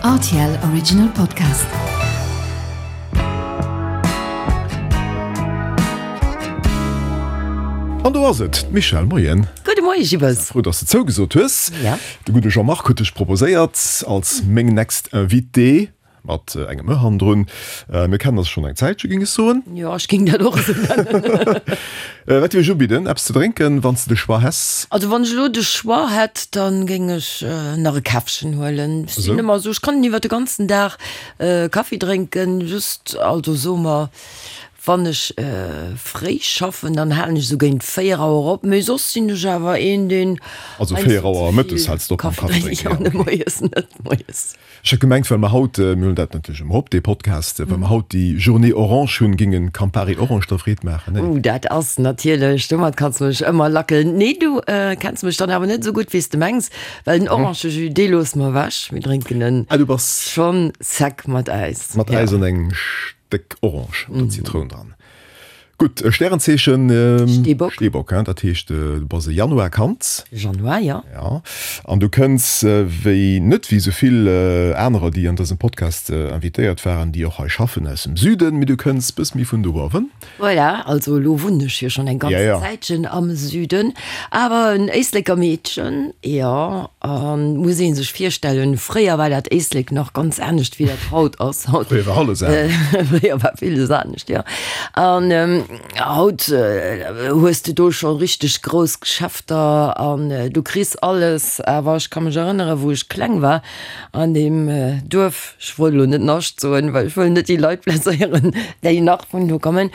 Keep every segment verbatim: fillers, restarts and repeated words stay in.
R T L Original Podcast. An do ass et, d'Michèle. Moien. Gudde Moie Gibbes. Frou, dass de zougesot hues. Ja. De gudde Jean-Marc huet dech proposéiert als meng next Invitée. Mat engem e hannendrun. Mir kennen eis schonn eng Zäitche, géing ech soen. Jo, ech géing dat och esou nennen. Wat géif ech ubidden? Eppes ze drénken, wann s de de Choix häss? Also wann ech elo de Choix hätt, da géing ech nach e Käffchen huelen. Ech sinn ëmmer esou, ech kann iwwer de ganzen Dag Kaffi drénken, just, also soe mer, wann ech fréi schaffen, dann halen ech esou géint véier Auer op, mee soss sinn ech awer een, deen Also véier Auer mëttes häls de op mam Kaffi drénken? Jo, ne, moies net, moies. Ech hat gemengt, well mer haut, mir huelen dat natierlech ëmmer op, dee Podcast, well mer haut déi Journée Orange hunn, géing en Campari Orange der Freed maachen, nee? Uh, dat ass natierlech, domat kanns de mech ëmmer lackelen. Nee, du kenns mech dann awer net esou gutt, wéi s de mengs, well den Orangejus, dee loosse mer ewech, mir drénken en Ah, du bass. Schonn sec mat Äis. Mat Äis an engem Stéck Orange oder Zitroun dran. Gutt, e Stärenzeechen? Steebock. Steebock, hein, dat heescht, du bass e Januarkand. Januar, jo. Ja. An du kënns wéi, net wéi esou vill anerer, déi an dësem Podcast invitéiert waren, déi och hei schaffen, aus dem Süden, mee du kënns bëss méi vun do uewen. Voilà, also elo wunnen ech jo schonn eng ganz Zäitchen am Süden, awer en Éisleker Meedchen, jo, an muss ee sech virstellen, fréier war dat Éislek nach ganz anescht wéi dat haut ass. Haut, fréier war alles anescht. Fréier war villes anescht, jo. An haut hues de do scho richteg grouss Geschäfter an du kriss alles, awer ech ka mech erënnere wou ech kleng war an deem Duerf, ech wollt elo net Nascht soen, well ech wëll net déi Leit blesséieren, déi nach vun do kommen,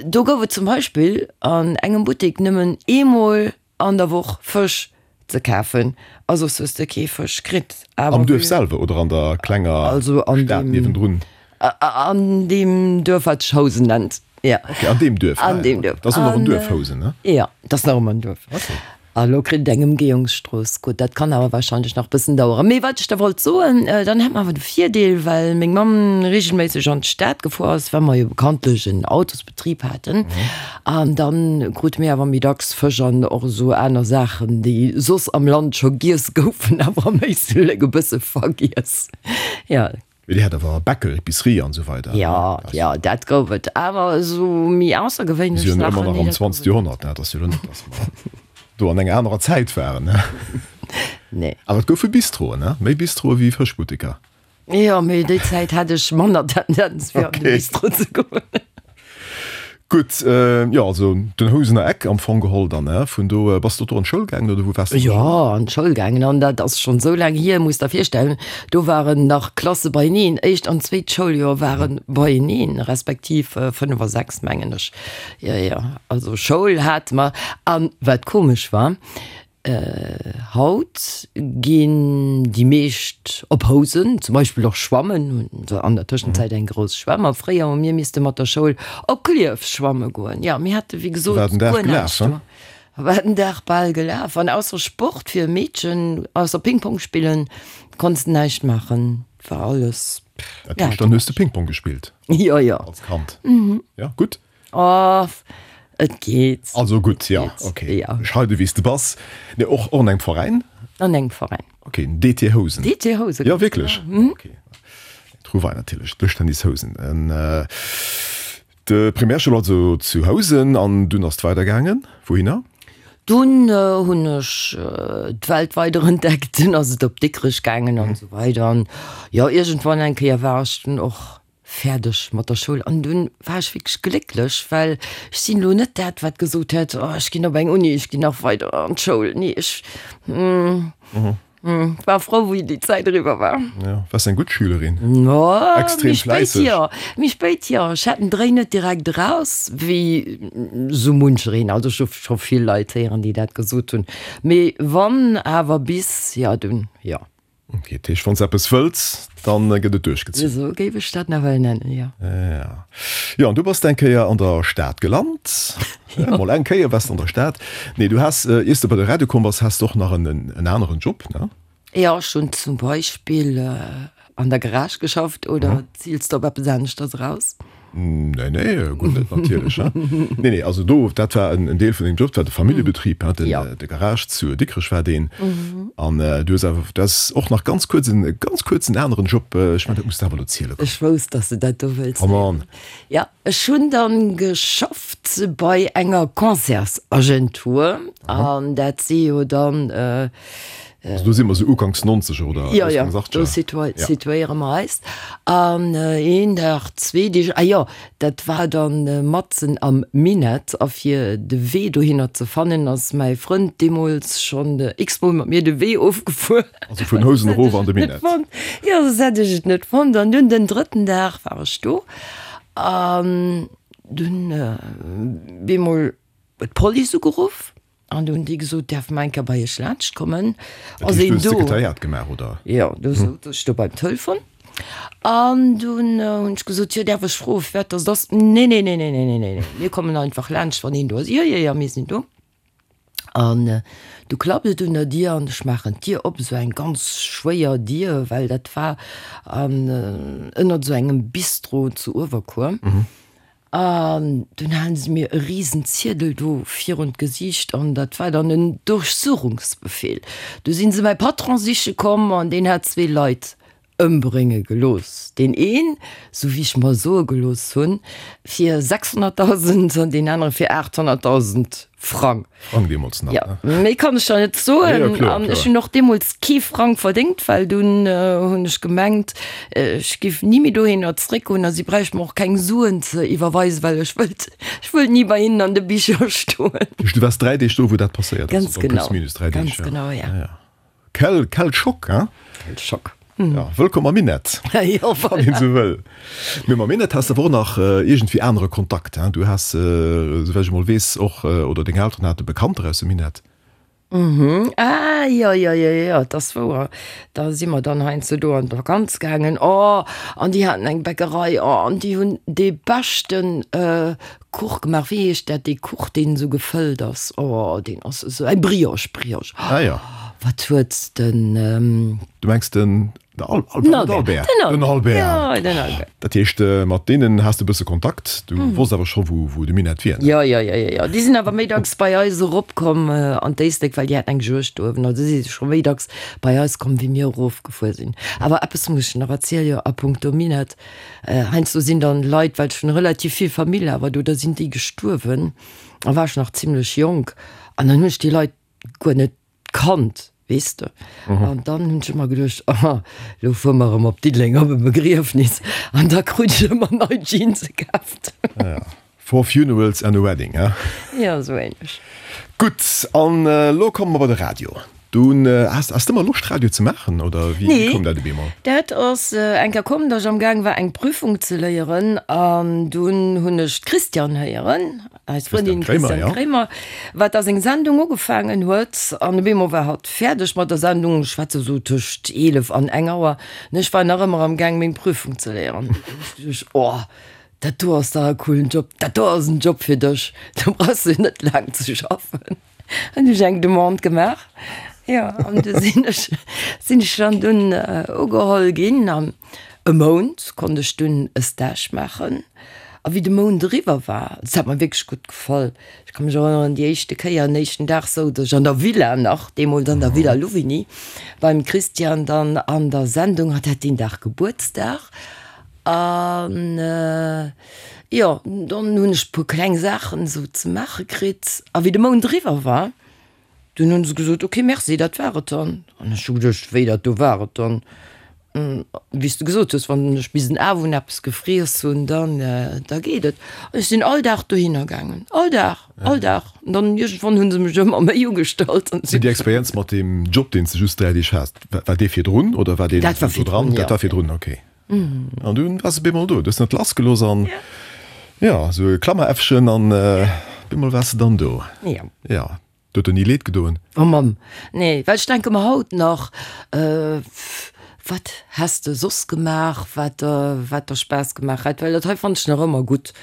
do gouf et zum Beispill an engem Buttek nëmmen eemol an der Woch Fësch ze kafen a soss hues de kee Fësch kritt. Awer Am Duerf selwer oder an der klenger also an Stad deem, niewendrun? an deem Duerf, wat sech Housen nennt, jo. Okay, an deem Duerf, ah An ja, deem okay. Duerf. Dat ass och nach en An Duerf, Housen, ne? jo, dat ass nach ëmmer en Duerf. Okay. A lo kritt et eng Ëmgehungsstrooss. Gutt, dat kann awer wahrscheinlech nach bëssen daueren. Mee wat ech da wollt soen, dann hat mer awer de Virdeel, well meng Mamm regelméisseg an d'Stad gefuer ass, well mer jo bekanntlech en Autosbetrib haten. An dann krute mir awer méi dacks Fësch an och esou aner Saachen, déi soss am Land scho giess goufen, awer am Éislek e bësse vergiess. Jo. Mee Dir hat awer Bäcker, Epicerie an esou weider, ne? Jo, jo, dat gouf et. Awer esou méi aussergewéinlech Mir sinn jo Saachen, ëmmer nach nee, am dat gouf zwanzegt et net. Joerhonnert, ne? Et ass jo elo net, dass mer do an enger anerer Zäit waren, ne? Nee. Awer et goufe Bistroen, ne? Méi Bistroe wéi Fëschbutteker. Jo, mee déi Zäit hat ech manner Tendenz, fir an de Okay. Bistro ze goen. Gutt, jo, also den Housener Eck am Fong geholl dann, ne? Vun do, bass de do an d'Schoul gaangen oder wou waars de an der Jo, Schoul? an d'Schoul gaangen an dat ass schonn esou laang hier, muss der virstellen, do waren nach Klasse beieneen, éischt an zweet Schouljoer ware beieneen, respektiv fënnef a sechs mengen ech. Jo, jo, also Schoul hate mer. An wat komesch war, Haut ginn déi meescht op Housen, zum Beispill och schwammen, hunn se an der Tëschenzäit eng grouss Schwämm. A fréier hu mir misste mat der Schoul op Klierf schwamme goen. Jo, mir hate wéi gesot War den Dag guer gelaf, näischt he? do. War den Dag bal gelaf. An ausser Sport fir e Meedchen, ausser Ping-Pong spillen, konns de näischt maachen. War alles, Dat ja. heescht, dann hues de Ping-Pong gespillt Jo, jo. als Kand? Jo, gutt. Oh, et geet. Also gutt, ja, Et geet, okay. ja. Bescheide wéi s de bass. Nee, och, och an engem Veräin? An engem Veräin. Okay, den D T Housen. D T Housen, Ja, ganz wierklech? genau. Okay. Trouvaille natierlech, Dëschtennis Housen. En, de Primärschoul also zu Housen an dunn ass et weidergaangen. Wouhinner? Dunn hunn ech d'Welt weider entdeckt, dunn ass et op Dikrech gaangen an esou weider. An jo, iergendwann eng Kéier war ech dunn och fäerdeg mat der Schoul an dunn war ech wierklech glécklech, well ech sinn elo net dat, wat gesot hätt, oh ech ginn op eng Uni, ech ginn nach weider an d'Schoul. Nee, ech war frou, wéi déi Zäit eriwwer war. Jo, waars eng gutt Schülerin? No, Extrem méi spéit fläisseg? jo, méi spéit jo. Ech hat den Dréi net direkt eraus, wéi sou munchereen. Also ech hu scho vill Leit héieren, déi dat gesot hunn. Mee wann awer bis, jo dunn jo. Ok, dat heescht, wann s eppes wëlls, dann gëtt et duerchgezunn. Esou géif ech dat nawell nennen, jo. Ja. Jo, an du bass eng Kéier an der Stad gelant. Jo. Mol eng Kéier waars de an der Stad. Nee, du has, iers de bei de Radio komm bass, has de och nach en, en aneren Job, ne? Jo, ech hunn zum Beispill an der Garage geschafft. Oder ziils de op eppes aneschters eraus? Nee, nee, guer net natierlech. Nee, nee, also do, dat war en Deel vun dengem Job, dat war de Familljebetrib, hein, den, Ja. de Garage zu Dikrech war deen. An du hues awer, du has och nach ganz kuerz en ganz kuerzen aneren Job, ech mengen, dat muss de awer elo ziele kommen. Ech wousst, dass de dat do wëlls Come on. Ja, ech hunn dann geschafft bei enger Concertsagentur an dat si jo dann, Also do si mer sou uganks Nonzeger oder Ja, ja, uganks do Achtzeger. situi Ja. situéiere mer eis. An een Dag, zwee Deeg, ah jo, dat war dann matzen am Minett a fir de Wee dohinner ze fannen, ass mäi Frënd deemools schonn x-mol mat mir de Wee ofgefuer. Also vun Housen erof an de Minett. Jo, soss hätt ech et net fonnt. An dunn den drëtten Dag war ech do an dunn bemol huet d'Police ugeruff. An du hunn déi gesot, däerfe mer eng Kéier bei iech laanscht kommen? Dat Ass heescht, du een hues do? Sekretariat gemaach, oder? Jo, du souz ech do beim Telefon. An dunn hunn ech gesot, jo, däerf ech froen, firwat dass et ass? Nee, nee, nee, nee, nee, nee, nee, nee, mir kommen einfach laanscht, wann een do ass. Jo, jo, jo, mir sinn do. An du klappt et un der Dier an ech maachen d'Dier op, esou eng ganz schwéier Dier, well dat war an ënnert esou engem Bistro zu Uewerkuer. An dunn halen se mir e risen Ziedel do virun d'Gesiicht an dat war dann en Durchsuchungsbefehl. Du sinn se mäi Patron siche komm an deen hat zwee Leit ëmbrénge gelooss. Deen een, sou wéi ech mer soe gelooss hunn, fir sechshonnertdausend an deen anere fir aathonnertdausend Frang. Frang deemools nach, Ja, ne? méi kann ech der net Ja, ja, soen. kloer, An ech kloer. hunn och deemools kee Frang verdéngt, well dunn hunn ech gemengt, ech giff ni méi dohinner zréckgoen a si bräichte mer och keng Suen ze iwwerweisen, well ech wëllt, ech wëllt ni bei hinnen an de Bicher stoen. Du waars dräi Deeg do, wou dat passéiert ass, Ganz oder genau, plus minus dräi Deeg, ganz ja. genau, ja. Ja, ja. Quel, quel Schock, hein? Quel Schock. Ja, wëllkomm am Minett, Jo, wann een voilà. esou wëll. Mee mam Minett has de awer och nach iergendwéi anere Kontakt, hein? Du has, souwäit ech emol weess, och, oder deng Elteren hate Bekannter aus dem Minett. Mhm, ah, jo, jo, jo, jo, et ass wouer. Da si mer dann heiansdo do an d'Vakanz gaangen. Oh, an déi haten eng Bäckerei, oh, an déi hunn dee beschten Kuch gemaach. Wéi heescht dat, dee Kuch, deen esou gefëllt ass? Oh, deen ass esou, eng Brioche, Brioche. Ah ja. Wat huet den. Du mengs den Al Al Den Albert? Albert. Den Den Albert. Albert. Jo, den Albert. Dat heescht, mat deenen has de e bësse Kontakt. Du wosst awer scho wou, wou de Minett wier, ne? Jo, jo, jo, jo, jo. Déi sinn awer méi dacks bei eis eropkomm an d'Éislek, well déi haten eng Juegd do uewen. Also si si scho méi dacks bei eis komm, wéi mir erofgefuer sinn. Awer eppes muss ech nach erzielen, jo, a puncto Minett. Heiansdo sinn dann Leit, well ech hunn relativ vill Famill awer do, da sinn déi gestuerwen, da war ech nach zimlech jonk, an dann hunn ech déi Leit guer net kannt, weess de. An dann hunn ech ëmmer geduecht, aha, lo fuere mer erëm op Diddeleng op e Begriefnis. An da krut ech ëmmer nei Jeanse kaaft. Ja, four funerals and a wedding, he? Ja, esou ähnlech. Gutt, an elo komme mer bei de Radio. Du has, has de ëmmer Loscht Radio ze maachen, oder wéi Nee, koum dat op eemol? dat ass eng Kéier komm, datt ech amgaang war eng Prüfung ze léieren an dunn hunn ech d'Christiane héieren, eis Christiane Frëndin Kremer, Christiane ja. Kremer, wat da seng Sendung ugefaangen huet an op eemol war hatt fäerdeg mat der Sendung, ech schwätze sou tëscht eelef an eng Auer, an ech war nach ëmmer amgaang meng Prüfung ze léieren. Dunn hu ech geduecht, oh, dat do ass dach e coolen Job, dat do ass en Job fir dech, do brauchs de net laang ze schaffen. Hunn ech eng Demande gemaach, jo, an du sinn ech, sinn ech dann dunn ugeholl ginn an e Mount konnt ech dunn e Stage maachen. A wéi de Mount eriwwer war, dat hat mer wierklech gutt gefall, ech ka mech erënneren, déi éischte Kéier, den éischten Dag souz ech an der Villa nach, deemools an der Villa Louvigny, beim Christian dann an der Sendung, hatt hat deen Dag Gebuertsdag an, Jo, dann hunn ech e puer kleng Saachen esou ze maache kritt. A wéi de Mount eriwwer war, dunn hunn se gesot, Ok, merci, dat war et dann. An ech hu geduecht, Wéi, dat do war et dann? Wéi s de gesot hues, wann ech bis den Awunn eppes gefriess hunn, dann, da geet et. An ech sinn all Dag dohinner gaangen, all Dag, all Dag. An dann iergendwann hu se mech ëmmer méi ugestallt. An Déi Experienz mat deem Job, deen s de just dräi Deeg has, war dee virdrun oder war deen Dat war do dran? virdrun, jo. Dat war virdrun, ok. An dunn waars de bemol do, du hues net lassgelooss an jo, esou e Klammeräffchen an bemol waars de dann do. Jo. Jo, et huet der ni leed gedoen? Oh Mamm, nee, well ech denke mer haut nach, wat häss de soss gemaach, wat der, wat der Spaass gemaach hätt, well dat hei fannen ech nach ëmmer gutt.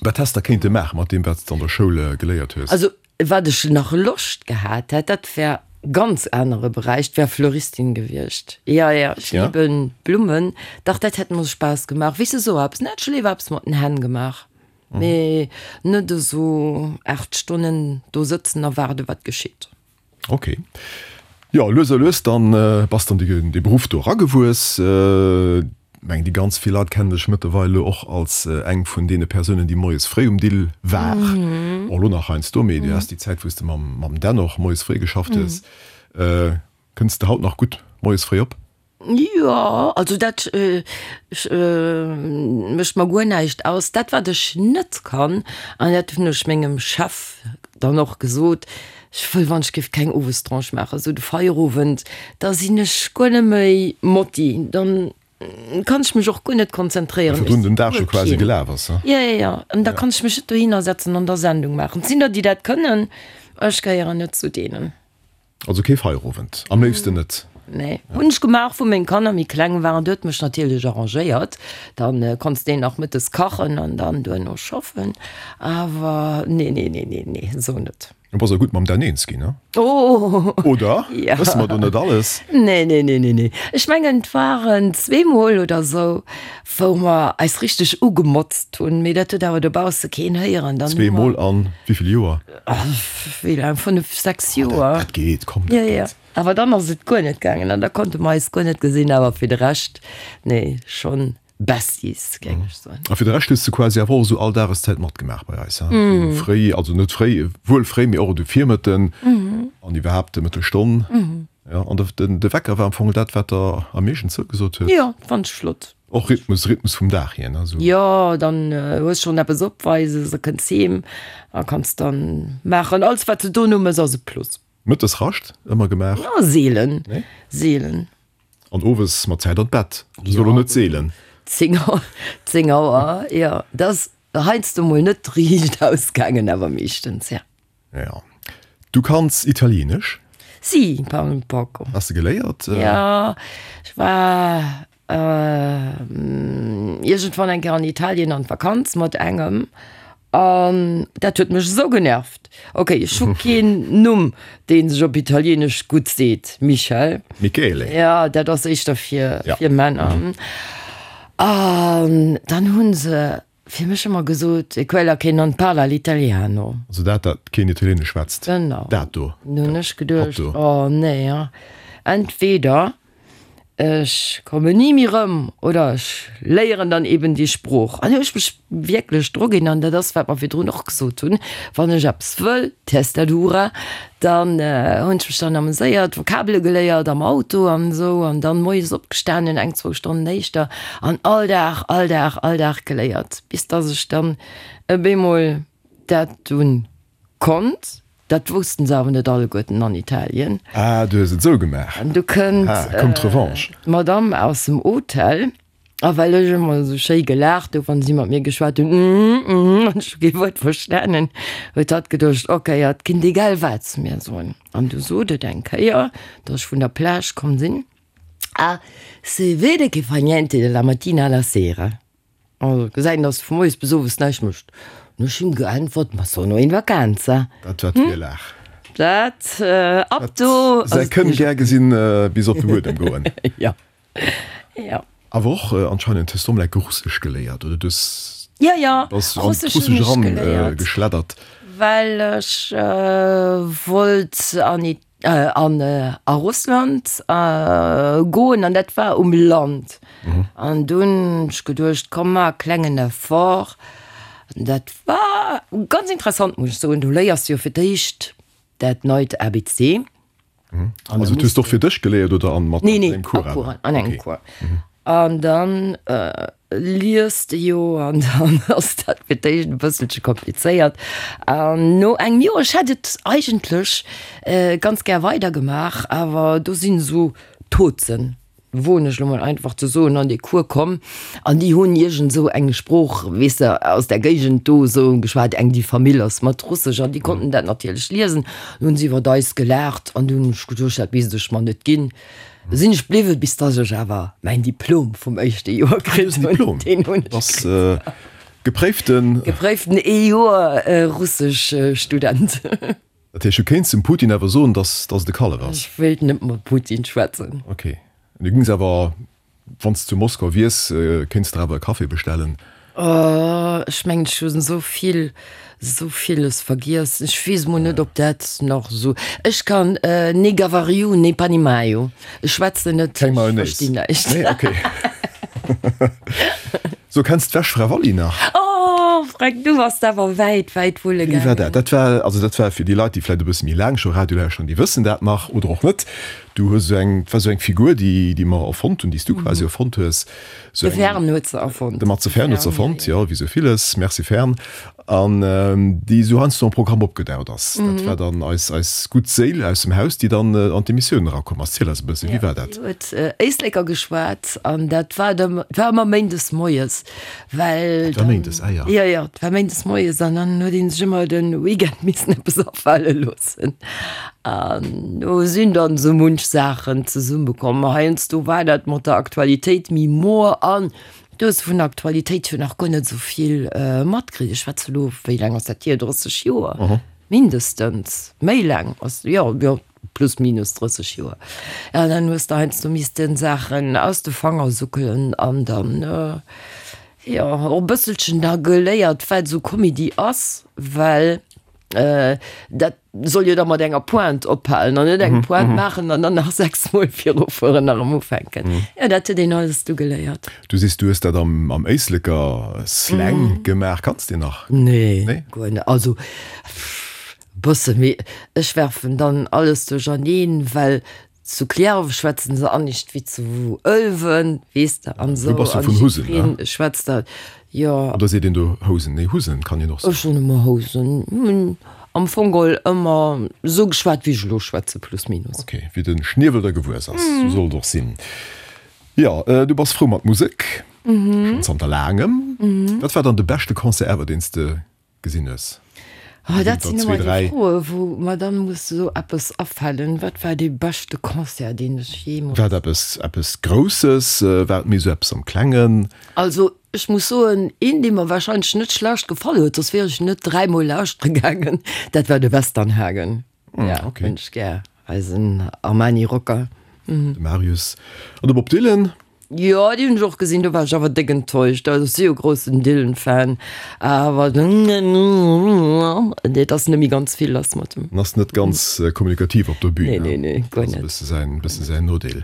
Wat häss de kéinte maachen mat deem, wat s de an der Schoul geléiert hues? Also wat ech nach Loscht gehat hätt, dat wär ganz anere Beräich, et wär Fleuristin gewiescht. Ja, ja, ech Ja? lieben Blummen. Dach, dat hätt mer Spaass gemaach. Weess de, sou eppes, ne, hätt ech léiwer eppes mat den Hänn gemaach, mee net esou aacht Stonnen do sëtzen a waarde wat geschitt. Ok. Jo, lues a lues dann bass dann de de Beruff do eragewuess. Meng déi ganz vill Leit kennen dech mëttlerweil elo och als eng vun deene Persounen, déi moies fréi um Dill war. Och elo nach heiansdo, mee du has déi Zäit, wou s de mam mam Dan och moies fréi geschafft hues. Kënns de haut nach gutt moies fréi op? Jo, also dat mécht mer guer näischt aus. Dat wat ech net kann, an dat hunn ech mengem Chef dann och gesot, ech wëll wann ech géif keng Owestranche maachen, esou de Feierowend, da sinn ech guer net méi motti, dann kann ech mech och guer net konzentréieren. Well virdrun den Dag scho quasi gelaf ass, he? Jo, jo, jo, an da kann ech mech net dohinner setzen an da Sendung maachen. Et sinn der, déi dat kënnen, ech gehéieren net zu deenen. Also kee Feierowend, am léifsten net? Nee, hunn ech gemaach, wou meng Kanner méi kleng waren. Do huet mech natierlech arrangéiert, dann konns de nach mëttes kachen an dann duerno schaffen. Awer nee, nee, nee, nee, nee, esou net. Du bass awer gutt mam Dan eens ginn, ne? Oh! Oder? Ja. Wësse mer do net alles? Nee, nee, nee, nee, nee. Ech mengen, et waren zweemol oder esou, wou mer eis richteg ugemotzt hunn, mee dat huet awer dobausse keen héieren. Dann hu mer. Zweemol an wéi vill Joer? Wéi laang? Fënnef, sechs Joer. Dat geet, komm, dat Ja, ja. geet. Awer dann ass et guer net gaangen an da konnte mer eis guer net gesinn. Awer fir de Rescht, nee, schonn Besties, géing ech soen. A fir de Rescht hues de quasi awer och esou all Dageszäit matgemaach bei eis, he? Fréi, also net fréi, wuel fréi, mee och de Virmëtten an iwwerhaapt de Mëttelstonn. Jo, an de, de Wecker war am Fong dat, wat der am meeschten zougesot huet. Jo, fand ech flott. Och Rhythmus, Rhythmus vum Dag hier, ne, esou. Jo, dann hues schonn eppes opweises a kënns heem a kanns dann maachen. Alles wat de dono mëss ass e Plus. Mëttes Rascht ëmmer gemaach? Jo, seelen, Nee? seelen. An owes mat Zäit an d'Bett? Dat ass elo net seelen. Zéng Auer, zéng Auer, jo. Dat ass heiansdo mol net riicht ausgaangen, awer meeschtens, ja. Ja. Du kanns Italienesch? Si, parlo un poco. Has de geléiert? Jo, ech war iergendwann eng Kéier an Italien an d'Vakanz mat engem an dat huet mech esou genervt. Ok, ech hu keen Numm, dee sech op Italienesch gutt seet, Michel. Michele. Ja, dat ass éischter fir, Ja. fir Männer. An dann hu se fir mech ëmmer gesot, E quella che non parla l'italiano. Also dat, dat keen Italienesch schwätzt. Genau. Dat do. Dann hunn ech Hatt geduecht, do. oh nee, entweder Ech kommen ni méi rëm oder ech léieren dann eben déi Sprooch. An hu ech mech wierklech druginn, an dat ass, wat mer virdrun och gesot hunn, wann ech eppes wëll, testa dura, dann hunn ech mech dann ameséiert, Vokabele geléiert am Auto an esou, an dann moies opgestanen, eng, zwou Stonnen éischter, an all Dag, all Dag, all Dag geléiert, bis dass ech dann op eemol dat dunn konnt. Dat woussten se awer net alleguerten an Italien. Ah, du hues et esou gemaach. An du kënnt Ah, koum d'Revanche. d'Madame aus dem Hotel, a well ech ëmmer esou schéi gelaacht hu wann si mat mir geschwat hunn, mm, mm, an ech hu kee Wuert verstanen, huet hatt geduecht, ok, hatt kinnt egal wat zu mir soen. An du sot et eng Kéier, datt ech vun der Plage komm sinn, Ah, se vede che fa niente dalla mattina alla sera. Also gesäit een, dass de vu moies bis owes näischt mécht. An ech hunn geäntwert, Ma sono in vacanza. Dat war d'Virlag. Dat, ab do ass Säi et Kënn nees. gär gesinn bis op de Buedem goen. Jo, jo. Awer och anscheinend hues du emol enke Russesch geléiert, oder? Du hues, Jo, jo, bass an Russesch hunn d'Russesch ech eran geléiert. geschleddert. Well ech wollt an an a Russland goen an dat war um Land. An dunn hunn ech geduecht, komm mar e klengen Effort. An dat war ganz interessant, muss ech soen. Du léiers jo fir d'éischt dat neit A B C. Also du hues och fir dech geléiert oder an mat Nee, nee, engem Cours a awer? Cours, an engem Okay. Cours. An dann liest de jo an dann ass dat fir d'éischt e bësselche komplizéiert. An no engem Joer, ech hätt et eigentlech ganz gär weidergemaach, awer do sinn esou Tozen, woen ech elo mol einfach ze soen, an dee Cours komm an déi hunn iergend esou eng Sprooch, weess de, aus där Géigend do esou geschwat, eng déi Famill ass mat Russesch an déi konnten dat natierlech liesen. An hunn se iwwert eis gelaacht an dunn hunn ech geduecht, dat misst ech mer net ginn. Sinn ech bliwwen, bis dass ech awer mäin Diplom vum éischte Joer kritt hunn. Diplom? Deen hunn ech Bass kritt. gepréiften. Gepréiften ee Joer Russesch Student. Dat heescht, du kéints dem Putin awer soen, dass dass et e Kallef ass? Ech wéilt net mam Putin schwätzen. Ok. Du gings awer, wann s de zu Moskau wiers, kéints de der awer e Café bestellen? Oh, ech mengen, ech hunn esou vill, esou villes vergiess. Ech weess mol net, ob dat nach esou. Ech kann ne gavariu, ne panimaio. Ech schwätzen net, Keng ech Mayonnaise? verstinn näischt. Nee, ok. So, kenns d'Wäschfra Walli nach? Oh, Freck, du bass awer wäit, wäit wulle Wéi war gaangen. dat? Dat war, also dat war fir déi Leit, déi vläicht e bësse méi laang scho Radio lauschteren, déi wëssen dat nach oder och net. Du hues esou eng, dat war esou eng Figur, déi, déi mer erfonnt hunn, déi s du quasi erfonnt hues. Esou De eng, Fern huet se erfonnt. de Matze De Fern huet se Fern, ja, erfonnt, ja. jo, wéi esou villes. Merci Fern. An déi esou heiansdo am Programm opgedaucht ass. Dat war dann eis, eis gutt Séil aus dem Haus, déi dann an d'Emissioun erakomm ass. Ziel eis e bëssen, wéi war dat? Déi huet Éisleker geschwat an dat war dem, war ëmmer méindes moies, well Dat war méindes, ah ja. Jo, jo, dat war méindes moies an dann huet ee sech ëmmer de Weekend missen eppes afale loossen. An do sinn dann esou munch Saachen zesummekomm. Heiansdo war dat mat der Aktualitéit méi moer an du hues vun der Aktualitéit jo nach guer net esou vill matkritt. Ech schwätze elo, wéi laang ass dat hier, drësseg Joer mindestens, méi laang ass, jo, jo, plus minus drësseg Joer. Ja, dann hues de heiansdo missten Saachen aus de Fanger suckelen an dann, jo, och e bësselchen da geléiert, wat esou Comedy ass, well dat soll jo da mat enger Pointe ophalen an net eng Pointe maachen an dann nach sechs Mol virufueren a erëm ufänken. Jo, dat huet een alles du geléiert. Du sees, du hues dat am am Éisleker Slang gemaach. Kanns deen nach? Nee, Nee? guer net. Also bësse, mee ech werfen dann alles duercherneen, well zu Cliärref schwätzen se anescht wéi zu Ëlwen, weess de, an Du esou. bass jo An vun Husen, ne? jiddwereen schwätzt da, jo. Oder seet een do Housen? Nee, Husen kann een och soen. Ech soen ëmmer Housen. Hunn am Fong geholl ëmmer esou geschwat, wéi ech elo schwätze, plus minus. Ok, wéi de Schniewel der gewuess ass, sou soll et och sinn. Jo, du bass frou mat Musek, schonn zanter laangem. Wat war dann de beschte Concert ever, deen s de gesinn hues? Oh, dat Ginn sinn der zwee, ëmmer déi dräi. Froe wou mer dann muss esou eppes afalen. Wat war dee beschte Concert, deen ech jeemools. War et eppes, eppes Grousses? War et méi esou eppes am Klengen? Also ech muss soen, een dee mer wahrscheinlech net schlecht gefall huet, soss wier ech net dräimol lauschtere gaangen, dat war de Westernhagen. Ja, okay. hunn ech gär, eisen Armani Rocker. De Marius an de Bob Dylan. Jo, déi hunn ech och gesinn, do war ech awer déck enttäuscht. Also ech si jo groussen Dylan-Fan, awer et ass net méi ganz vill lass mat em. En ass net ganz kommunikativ op der Bühn, Nee, nee, nee, guer Dat ass e net. bësse säin, bësse säin Nodeel.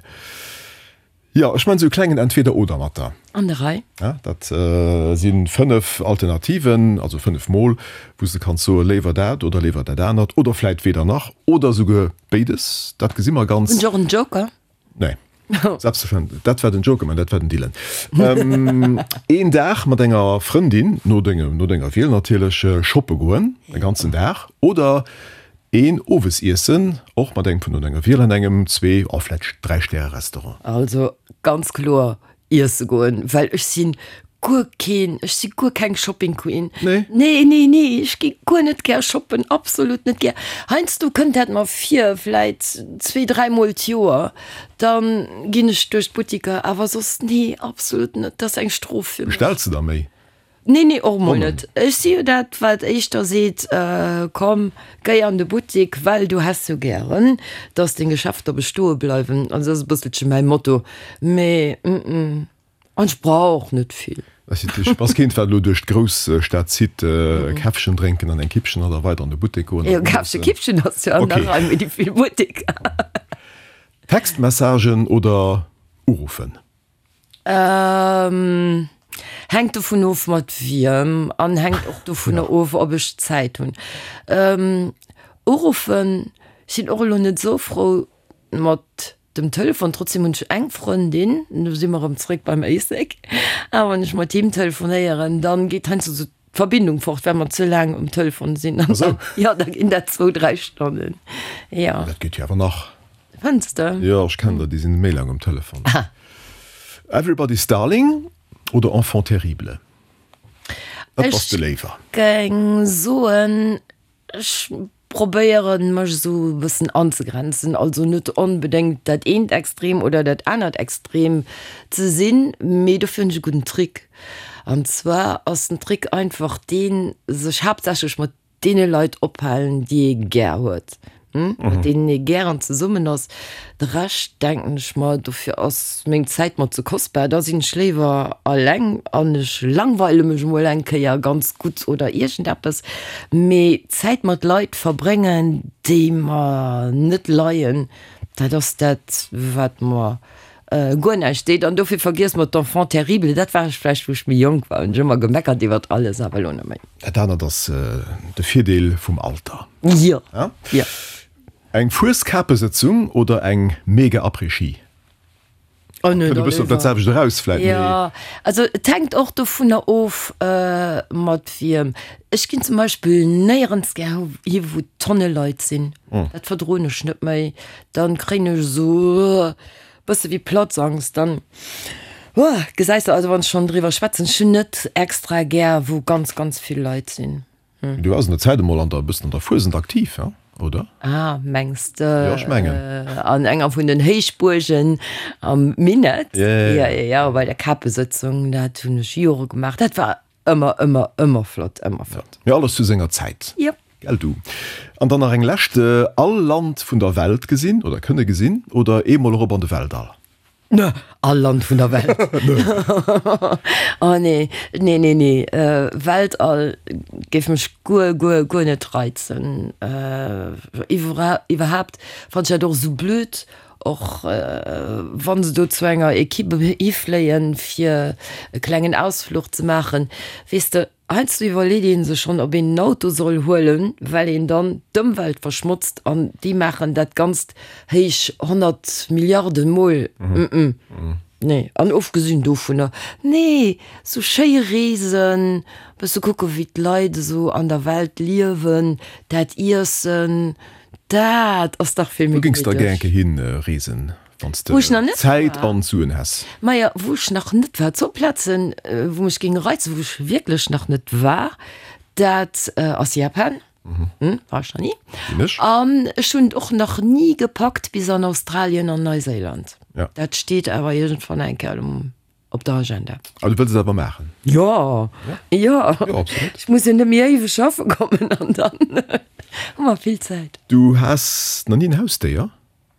Jo, ech man esou e klengen Entweder-oder mat der. An der Rei. Ja, dat si fënnef Alternativen, also fënnef Mol, wou s de kanns soe léiwer dat oder léiwer dat anert oder vläit weder nach oder esouguer béides. Dat gesi mer ganz. Hunn ech och en Joker? Nee. Selbstverständlech. Dat war den Joker, mä dat war den Dylan. Een Dag mat enger Frëndin, no dengem, no denger Wiel natierlech, shoppe goen, e ganzen Dag, oder een Owesiessen, och mat engem vun no denger Wiel, an engem Zwee-, oh vläicht Dräi-Stäre-Restaurant. Also ganz kloer iesse goen, well ech sinn guer keen, ech si guer keng Shopping Queen. Nee? Nee, nee, nee, ech gi guer net gär shoppen, absolut net gär. Heiansdo kënnt dat mer vir, vläit zwee, dräi mol d'Joer, dann ginn ech duerch d'Buttiker, awer soss nee, absolut net, dat ass eng Strof fir mech. Bestells de da méi? Nee, nee, och mol Och net. Ech si jo dat, wat éischter seet, komm, géi an de Buttik, well du häss jo gären, dass deng Geschäfter bestoe bleiwen. Also dat ass e bësselche mäi Motto. Mee, mm, an ech brauch och net vill. Ech bass keent, wat elo duerch d'Grousstad zitt, e Käffchen drénken an eng Kippchen an da weider an de Buttek goen. Jo, Käffchen, Kippchen ass jo an der Rei, mee déi vill Butteker. Textmessagen oder uruffen? Ähm, hänkt dovun of mat wiem an hänkt och dovunner of, ob ech Zäit hunn. Ähm, uruffen, ech sinn och elo net esou frou mat dem Telefon, trotzdem hunn ech eng Frëndin, do si mer erëm zréck beim Éislek, a wann ech mat him telefonéieren, dann geet heiansdo esou d'Verbindung fort, well mer ze laang um Telefon sinn. An dann, jo, da ginn dat zwou, dräi Stonnen, jo. Dat geet jo awer nach. Fënns de? Jo, ech kennen der, déi sinn méi laang um Telefon. Everybody's Darling oder Enfant terrible? Wat bass de léiwer? Ech géing soen, ech probéieren mech esou e bëssen anzegrenzen, also net onbedéngt dat eent Extrem oder dat anert Extrem ze sinn, mee dofir hunn ech e gudden Trick. An zwar ass den Trick einfach deen, sech haaptsächlech mat deene Leit ophalen, déi ee gär huet, mat deenen ee gären zesummen ass. De Rescht, denken ech mer, dofir ass meng Zäit mer ze kostbar, da sinn ech léiwer alleng an ech langweile mech emol eng Kéier ganz gutt oder iergendeppes. Mee Zäit mat Leit verbréngen, déi mer net leien, dat ass dat, wat mer guer näischt deet. An dofir vergiess mer d'Enfant terrible, dat war ech vläicht, wou ech méi jonk war, hunn ech ëmmer gemeckert iwwert alles, awer elo net méi. Dat anert ass de Virdeel vum Alter. Jo, jo. Eng Fueskapesëtzung oder eng mega Après-Ski? Oh nee, Kënnt e bëssen op dat selwecht eraus vläit, mee. Jo, also et hänkt och dovunner of, mat wiem. Ech ginn zum Beispill néierens gär hi wou Tonne Leit sinn. Dat verdroen ech net méi. Dann kréien ech esou bësse wéi Platzangst. Dann, gesäis de, also wann ech schonn driwwer schwätzen, ech hunn net extra gär wou ganz, ganz vill Leit sinn. Du waars an der Zäit emol an der, e bëssen an der Fuesent aktiv, he, oder? Ah, mengs de? Jo, ech mengen. An enger vun den Héichbuergen am Minett? Ja, ja, ja. Ja, ja, ja, bei der Kapesëtzung, dat hunn ech Jore gemaach. Dat war ëmmer, ëmmer, ëmmer flott, ëmmer flott. Mee alles zu senger Zäit. Jop. Gell du. An dann nach eng lescht, All Land vun der Welt gesinn oder kënne gesinn oder eemol erop an de Weltall? Ne, all Land vun der Welt. Oh nee, nee, nee, nee. Weltall géif mech guer, guer, guer net reizen. Iwwerhaapt fannen ech dat och esou blöd, och wa se do zu enger Equipe hifléien, fir e klengen Ausfluch ze maachen. Weess de, Heiansdo iwwerleet ee sech schonn, ob een en Auto soll huelen, well een dann d'Ëmwelt verschmotzt an déi maachen dat Ganzt héich honnert Milliarde Mol. Nee. An ofgesinn dovunner, nee, sou schéi Reesen, bësse kucke wéi d'Leit esou an der Welt liewen, dat Iessen, dat ass dach vill méi Wou géings de da gär gemittleg. eng Kéier hin reesen? Wann s de Wou ech nach net Zäit war? an Suen häss. Maja, wou ech nach net war, zwou Plazen, wou mech géinge reizen, wou ech wierklech nach net war, dat ass Japan, war ech nach ni, Sinn ech. an ech hunn et och nach ni gepackt bis an Australien an Neuséiland. Ja. Dat steet awer iergendwann eng Kéier um op der Agenda. A du wëlls et awer maachen? Jo, jo. Jo, absolut. Ech muss jo net méi éiweg schaffe kommen an dann hu mer vill Zäit. Du has nach ni en Hausdéier?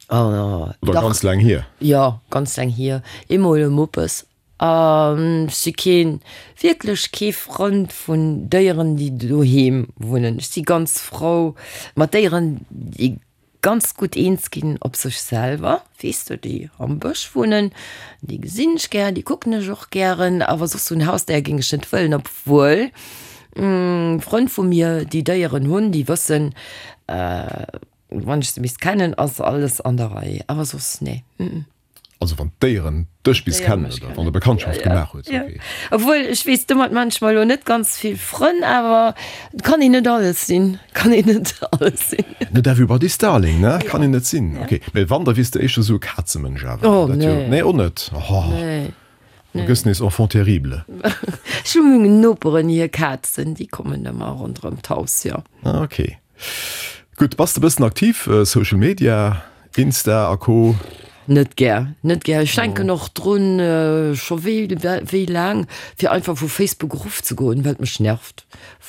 Oh, Oder dach. ganz laang hier? Jo, ganz laang hier. Eemol e Muppes. An ech si keen, wierklech kee Frënd vun Déieren, déi doheem wunnen. Ech si ganz frou mat Déieren, déi ganz gutt eens ginn op sech selwer, weess de, déi am Bësch wunnen. Déi gesinn ech gär, déi kucken ech och gären. Awer soss esou en Hausdéier géing ech net wëllen, obwuel Frënn vu mir, déi Déieren hunn, déi wëssen, Wann ech se misst kennen, ass alles an der Rei, awer soss nee. Also wann d'Déieren dech bis D'Déiere kennen mech oder wann kennen, der Bekanntschaft ja, gemaach hues, ja. okay. Obwuel, ech weess, domat man ech mer elo net ganz vill Frënn, awer et kann een net alles sinn, kann een net alles sinn. Net everybody's darling, ne? Kann een net sinn, okay. Mee wann, da wiers de éischter esou e Kazemënsch awer, Oh dat jo, nee. nee, och net? Oh, Nee, du nee. gëss nees Enfant terrible. Ech hu meng Noperen hir Kazen, déi kommen ëmmer ronderëm d'Haus, jo. Ah, okay. Gutt, bass de bëssen aktiv, Social Media, Insta a Co? Net gär, net gär. Ech denken och drun, scho wéi wéi laang, fir einfach vu Facebook erofzegoen, well et mech nervt,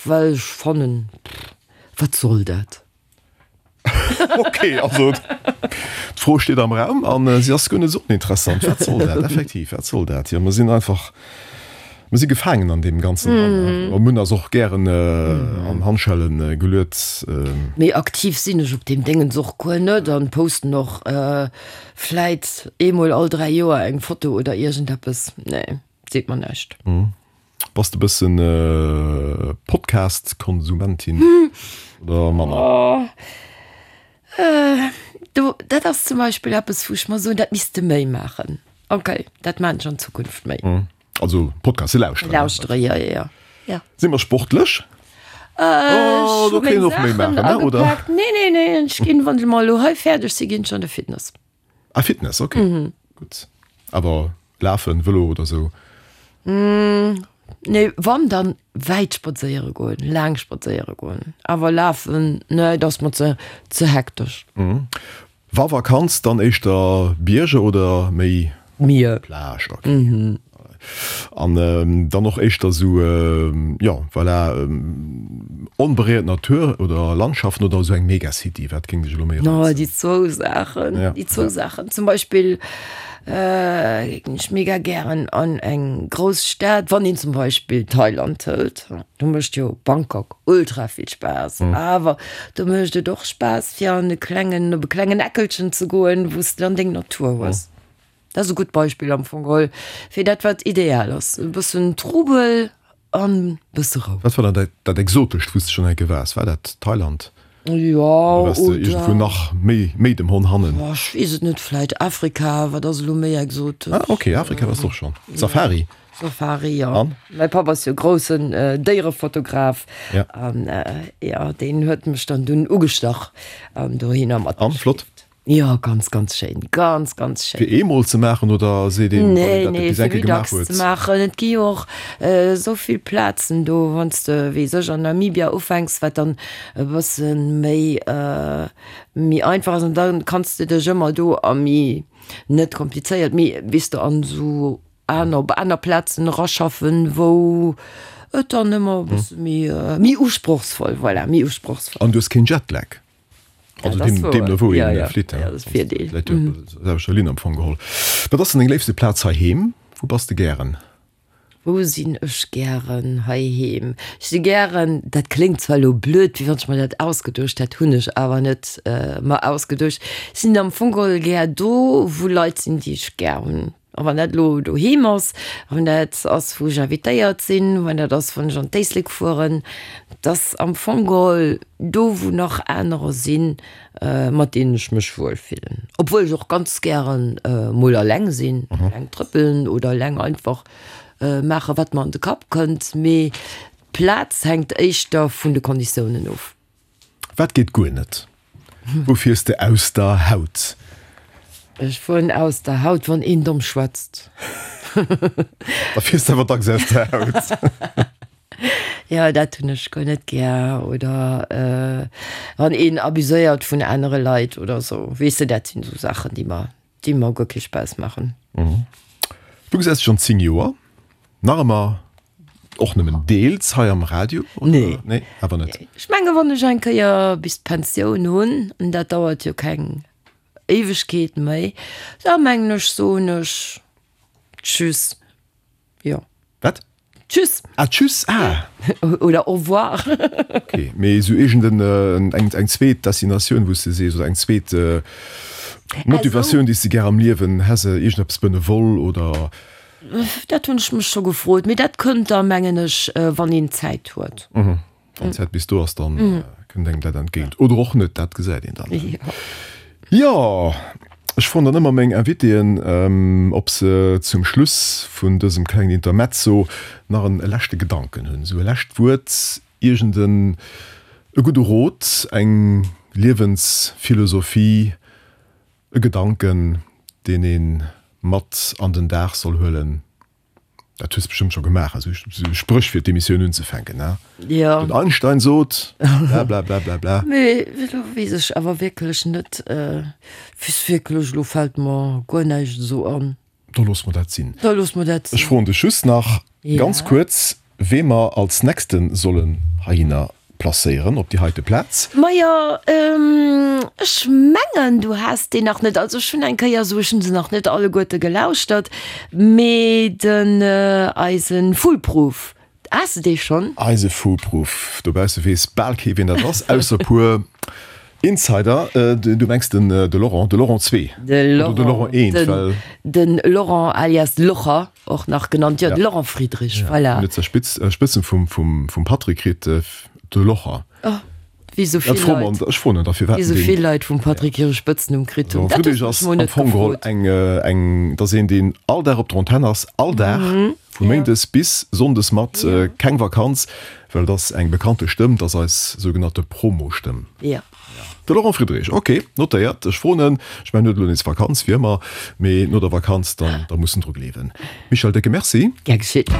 well ech fannen, wat soll dat? Ok, also d'Fro steet am Raum an si ass guer net esou oninteressant. Wat soll dat? Effektiv, wat soll dat? Jo, mer sinn einfach, mer si gefaangen an deem Ganzen dran. A mir hunn eis och gären an Handschelle geluet. Méi aktiv sinn ech op deem Déngens och guer net an posten och vläit eemol all dräi Joer eng Foto oder iergendeppes. Nee, seet mer näischt. Bass de bëssen Podcast-Konsumentin oder manner? Do, dat ass zum Beispill eppes, wou ech mer soen, dat misst de méi maachen. Okay, dat maan ech an Zukunft méi. Also Podcaste lauschteren? Lauschtere, jo, jo, jo. Ja. Si mer sportlech? Ech do hu kéint meng een och méi Saachen maachen, ne, oder? agepaakt. Nee, nee, nee, ech ginn, wann ech mol elo hei fäerdeg sinn, ginn ech an de Fitness. Ah, Fitness, okay. Gutt. Awer lafen, Vëlo oder sou? Nee, wann dann wäit spadséiere goen, laang spadséiere goen. Awer lafen, nee, dat ass mer ze, ze hektesch. Wa Vakanz, dann éischter Bierger oder méi Mier. Plage? Okay. An dann och éischter esou, jo, voilà, onberéiert Natur oder Landschaften oder esou eng Megacity? Wat géing dech elo méi No, reizen? déi zwou Saachen, Ja, déi zwou ja. Saachen. Zum Beispill géing ech mega gären an eng grouss Stad, wann een zum Beispill Thailand hëlt, do mécht jo Bangkok ultra vill Spaass, awer do mécht et och Spaass fir an e klengen, op e klengen Eckelchen ze goen, wou s de dann deng Natur hues. Dat ass e gutt Beispill am Fong geholl fir dat wat ideal ass, e bëssen Trubel an e bësse Rou. Wat war dann dat, dat Exotescht, wou s de schonn enke waars? War dat Thailand? Jo, Oder waars de iergendwou oder. nach méi, méi dem Honn hannen? Boah, ech weess et net, vläit Afrika, wat ass elo méi exotesch? Ah, ok, Afrika waars de och schonn. Safari? Safari, jo. An? Mäi Papp ass jo groussen Déierefotograf Ja. an jo, deen huet mech dann dunn ugestach an dohinner An, flott? matgeschleeft. Jo, ganz, ganz schéin, ganz, ganz schéin. Fir eemol ze maachen oder seet een, wann een Nee, dat nee, bis fir eng Kéier méi gemaach dacks huet? ze maachen. Et gi jo och esou vill Plazen do, wann s de, weess ech, an Namibia ufänks, wat dann e bësse méi, méi einfach ass an da kanns de dech ëmmer do a méi, net komplizéiert, mee weess de, an esou aner, op aner Plazen eraschaffen, wou et dann ëmmer e bësse méi, méi usprochsvoll, voilà, méi usprochsvoll. An du hues keen Jetlag? Also Dat ass deem, wouer. deemno wou Ja, een ja. flitt, Ja, dat ass Virdeel. Läit jo op der selwechter Linn am Fong geholl. Wat ass denn deng léifste Plaz heiheem? Wou bass de gären? Wou sinn ech gären heiheem? Ech si gären, dat kléngt zwar elo blöd, wéi wann ech mer dat ausgeduecht hätt, hunn ech awer net mer ausgeduecht, ech sinn am Fong geholl gär do, wou Leit sinn, déi ech gär hunn. A wann dat elo doheem ass, wann dat ass, wou ech invitéiert sinn, wann dat ass, wann ech an d'Éislek fueren, et ass am Fong geholl do, wou nach anerer sinn, mat deenen ech mech wuel fillen. Obwuel ech och ganz gären mol eleng sinn, eleng trëppelen oder eleng einfach maachen, wat mer an de Kapp kënnt. Mee d'Plaz hänkt éischter vun de Konditiounen of. Wat geet guer net? Wou fiers de aus der Haut? Ech fueren aus der Haut, wann een domm schwätzt. Da fiers de awer dacks aus der Haut. Jo, dat hunn ech guer net gär. Oder wann een abuséiert vun anere Leit oder sou. Weess de, dat sinn esou Saachen, déi mer, déi mer guer kee Spaass maachen. Du gesäis dech an zéng Joer nach ëmmer och nëmmen deels hei am Radio? Oder? Nee. Nee, awer net. Ech menge wann ech eng Kéier bis d'Pensioun hunn, an dat dauert jo keng Éiwegkeet méi, da mengen ech soen ech Tschüss. Jo. Wat? Tschüss. Ah, Tschüss, ah. Oder Au revoir. Okay, mee esou iergend en, eng, eng zweet Destinatioun, wou s de sees, oder eng zweet Motivatioun, déi s de gär am Liewen häss, iergendeppes benevol oder? Dat hunn ech mech scho gefrot, mee dat kënnt da, mengen ech, wann een Zäit huet. Wann d'Zäit bis do ass, dann kënnt engem dat entgéint. Oder och net, dat gesäit een dann. Jo, ech froen dann ëmmer meng Invitéen, ob se zum Schluss vun dësem klengen Intermezzo nach en leschte Gedanken hunn, esou e lescht Wuert, iergend en e gudde Rot, eng Liewensphilosophie, e Gedanken, deen ee mat an den Dag soll huelen. Dat hues de bestëmmt scho gemaach, esou Spréch fir d'Emissioun unzefänken, ne? Jo. Den Einstein sot, bla bla bla bla bla. Mee elo weess ech awer wierklech net, weess wierklech, elo fält mer guer näischt esou an. Da loosse mer dat sinn. Da loosse mer dat Ech sinn. froen dech just nach ganz Ja. kuerz, wee mer als nächste sollen heihinner placéieren op déi heite Plaz. Majo, ech mengen, du has deen nach net. Also ech hunn eng Kéier esou, ech hunn se nach net alleguerte gelauschtert, mee den eise Foolproof, has de dee schonn? Eise Foolproof, dobausse weess bal kee wien dat ass, ausser e puer Insider. Du mengs den de Laurent, de Laurent zwee De oder de Laurent eent, well. Den Laurent alias Locher och nach genannt, jo, de Laurent Friedrich, voilà. Hunn et zur Spitz, Spëtzen vum, vum, vum Patrick kritt, de Locher. Oh, wéi sou vill Leit. Ech froen en da firwat. Wéi sou vill Leit vum Patrick hire Spëtznumm kritt hunn. Dat hues du mech mol net gefrot. Eng, eng, dat ass een, deen all Dag op der Antenn ass, all Dag, vu méindes bis sonndes mat, keng Vakanz, well et ass eng bekannte Stëmm, dat ass eis sougenannte Promo-Stëmm. Jo. De Laurent Friedrich, ok, notéiert. Ech froen en. Ech mengen, en huet elo nees Vakanz, wéi ëmmer, mee no der Vakanz, dann, da muss en dru gleewen. Michèle, décke Merci. Gär geschitt.